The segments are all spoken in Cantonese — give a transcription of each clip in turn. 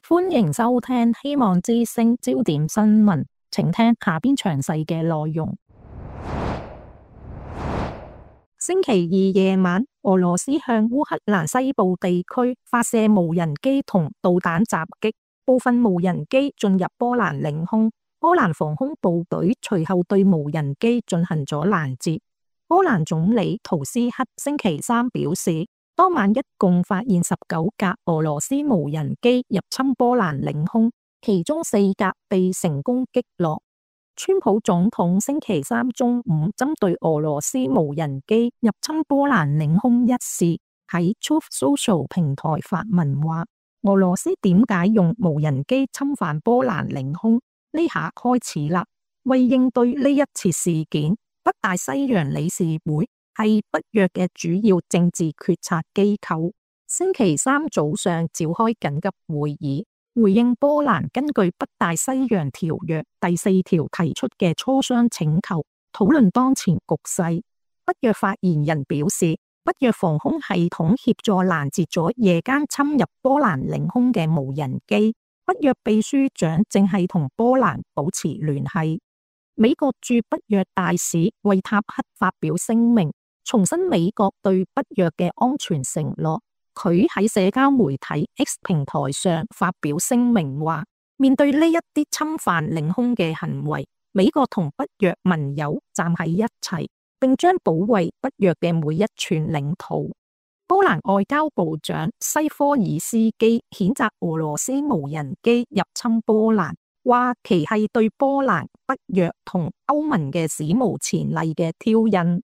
歡迎收聽希望之聲焦點新聞，請聽下邊詳細嘅內容。星期二夜晚，俄羅斯向烏克蘭西部地區發射無人機同導彈襲擊，部分無人機進入波蘭領空。波蘭防空部隊隨後對無人機進行咗攔截。波蘭總理圖斯克星期三表示，當晚一共發現19架俄羅斯無人機入侵波蘭領空，其中4架被成功擊落。川普總統星期三中午針對俄羅斯無人機入侵波蘭領空一事，喺 Truth Social 平台發文話：俄羅斯點解用無人機侵犯波蘭領空？呢下開始啦。為應對呢一次事件，北大西洋理事會係北約嘅主要政治決策機構，星期三早上召開緊急會議，回應波蘭根據北大西洋條約第4條提出嘅磋商請求，討論當前局勢。北約發言人表示，北約防空系統協助攔截咗夜間侵入波蘭領空嘅無人機。北約秘書長正係同波蘭保持聯繫。美國駐北約大使惠塔克發表聲明，重申美國對北約嘅安全承諾。佢喺社交媒體 X 平台上發表聲明話，面對呢一啲侵犯領空嘅行為，美國同北約盟友站喺一齊，並將保衛北約嘅每一寸領土。波蘭外交部長西科爾斯基譴責俄羅斯無人機入侵波蘭，話其係對波蘭、北約同歐盟嘅史無前例嘅挑釁。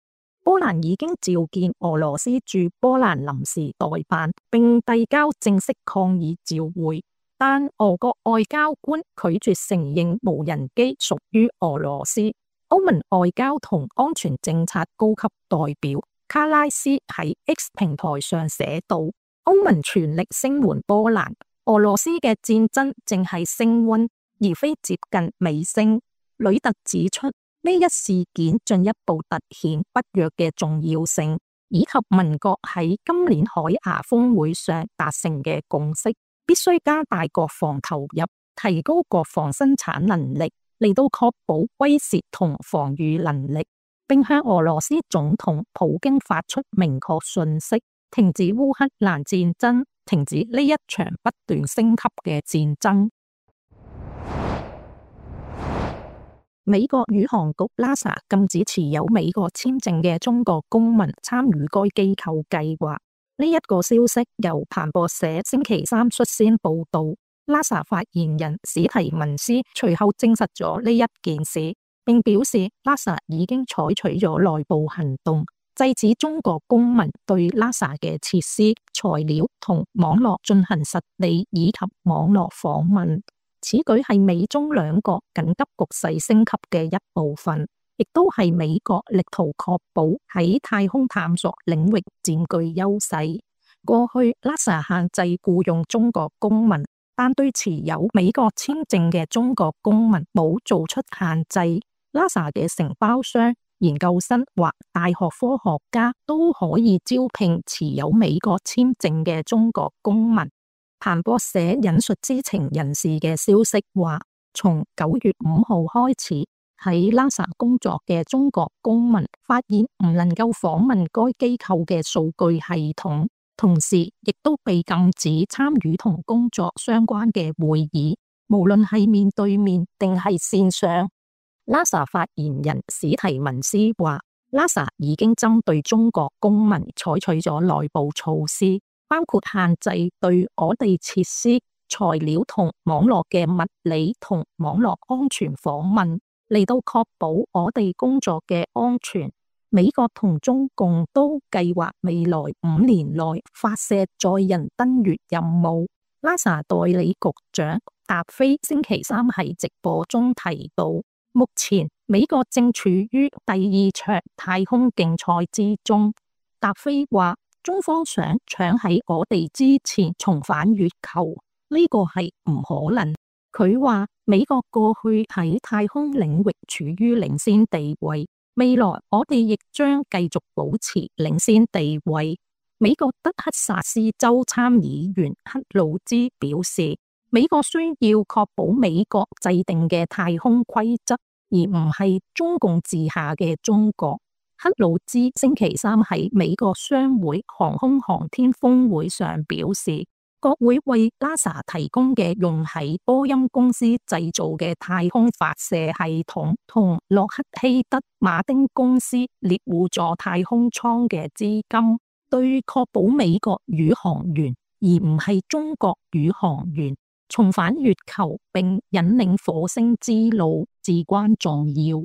波蘭已經召見俄羅斯駐波蘭臨時代辦，並遞交正式抗議照會，但俄國外交官拒絕承認無人機屬於俄羅斯。歐盟外交同安全政策高級代表卡拉斯喺 X 平台上寫道：歐盟全力聲援波蘭，俄羅斯嘅戰爭正係升溫，而非接近尾聲。呂特指出，呢一事件進一步凸顯北約嘅重要性，以及盟國喺今年海牙峰會上達成嘅共識，必須加大國防投入，提高國防生產能力，嚟到確保威懾同防禦能力，並向俄羅斯總統普京發出明確訊息，停止烏克蘭戰爭，停止呢一場不斷升級嘅戰爭。美國宇航局 NASA 禁止持有美國簽證嘅中國公民參與該機構計劃。呢一個消息由彭博社星期三率先報道。NASA 發言人史提文斯隨後證實咗呢一件事，並表示 NASA 已經採取咗內部行動，制止中國公民對 NASA 嘅設施、材料同網絡進行實地以及網絡訪問。此舉係美中兩國緊急局勢升級嘅一部分，亦都係美國力圖確保喺太空探索領域佔據優勢。過去 NASA 限制僱用中國公民，但對持有美國簽證嘅中國公民冇做出限制。NASA 嘅承包商、研究生或大學科學家都可以招聘持有美國簽證嘅中國公民。彭博社引述知情人士嘅消息話，從9月5號開始，喺 NASA 工作嘅中國公民發現唔能夠訪問該機構嘅數據系統，同時亦都被禁止參與同工作相關嘅會議，無論係面對面定係線上。NASA 發言人史提文斯話， NASA 已經針對中國公民採取咗內部措施，包括限制對我哋設施、材料同網絡嘅物理同網絡安全訪問，嚟到確保我哋工作嘅安全。美國同中共都計劃未來5年內發射載人登月任務。NASA 代理局長達菲星期三喺直播中提到，目前美國正處於第2場太空競賽之中。達菲話，中方想搶喺我哋之前重返月球，呢個係唔可能。佢話美國過去喺太空領域處於領先地位，未來我哋亦將繼續保持領先地位。美國德克薩斯州參議員克魯茲表示，美國需要確保美國制定嘅太空規則，而唔係中共治下嘅中國。克魯茲星期三喺美國商會航空航天峰會上表示，國會為 NASA 提供嘅用喺波音公司製造嘅太空發射系統同洛克希德馬丁公司獵戶座太空艙嘅資金，對確保美國宇航員而唔係中國宇航員重返月球並引領火星之路至關重要。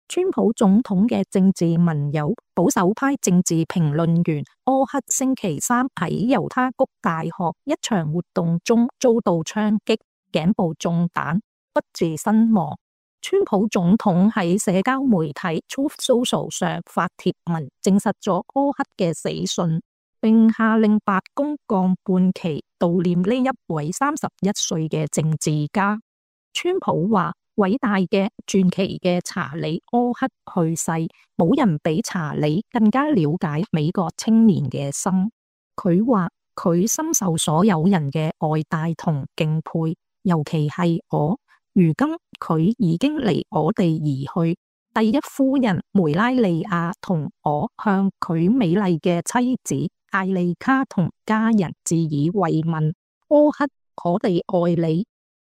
川普總統嘅政治盟友保守派政治評論員柯克星期三喺猶他谷大學一場活動中遭到槍擊，頸部中彈，不治身亡。川普總統喺社交媒體 Truth Social 上發帖文證實咗柯克嘅死訊，並下令白宮降半旗悼念呢一位31歲嘅政治家。川普話：偉大嘅傳奇嘅查理柯克去世，冇人比查理更加了解美國青年嘅心。佢話佢深受所有人嘅愛戴同敬佩，尤其係我。如今佢已經離我哋而去。第一夫人梅拉利亞同我向佢美麗嘅妻子艾莉卡同家人致以慰問。柯克，我哋愛你。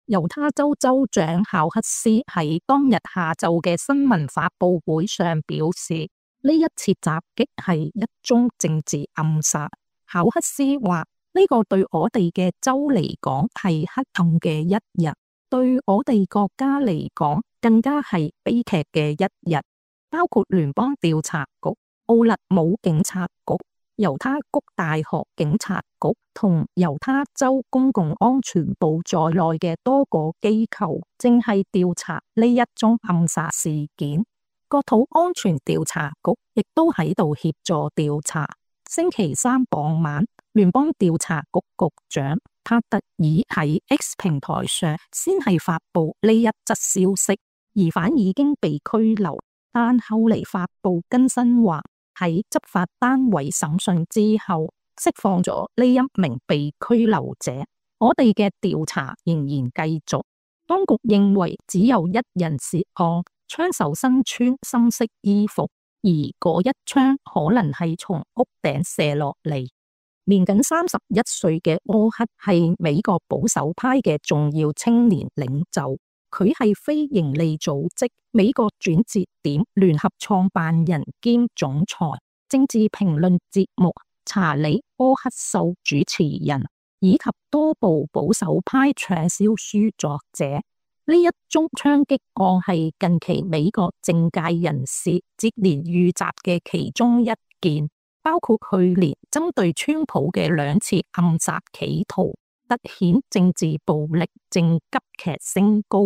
猶他州州長考克斯喺當日下晝嘅新聞發佈會上表示，呢一次襲擊係一宗政治暗殺。考克斯話：呢個對我哋嘅州嚟講係黑暗嘅一日，對我哋國家嚟講更加係悲劇嘅一日。包括聯邦調查局、奧勒姆警察局、猶他谷大學警察局同猶他州公共安全部在內嘅多個機構正係調查呢一宗暗殺事件。國土安全調查局亦都喺度協助調查。星期三傍晚，聯邦調查局局長帕特爾喺 X 平台上先係發布呢一則消息，疑犯已經被拘留，但後嚟發布更新話，喺執法單位審訊之後，釋放咗呢一名被拘留者。我哋嘅調查仍然繼續。當局認為只有一人涉案，槍手身穿深色衣服，而嗰一槍可能係從屋頂射落嚟。年僅31歲嘅柯克係美國保守派嘅重要青年領袖。佢係非營利組織美國轉折點聯合創辦人兼總裁，政治評論節目查理柯克秀主持人，以及多部保守派暢銷書作者。呢一宗槍擊案係近期美國政界人士接連遇襲嘅其中一件，包括去年針對川普嘅2次暗殺企圖，凸顯政治暴力正急劇升高。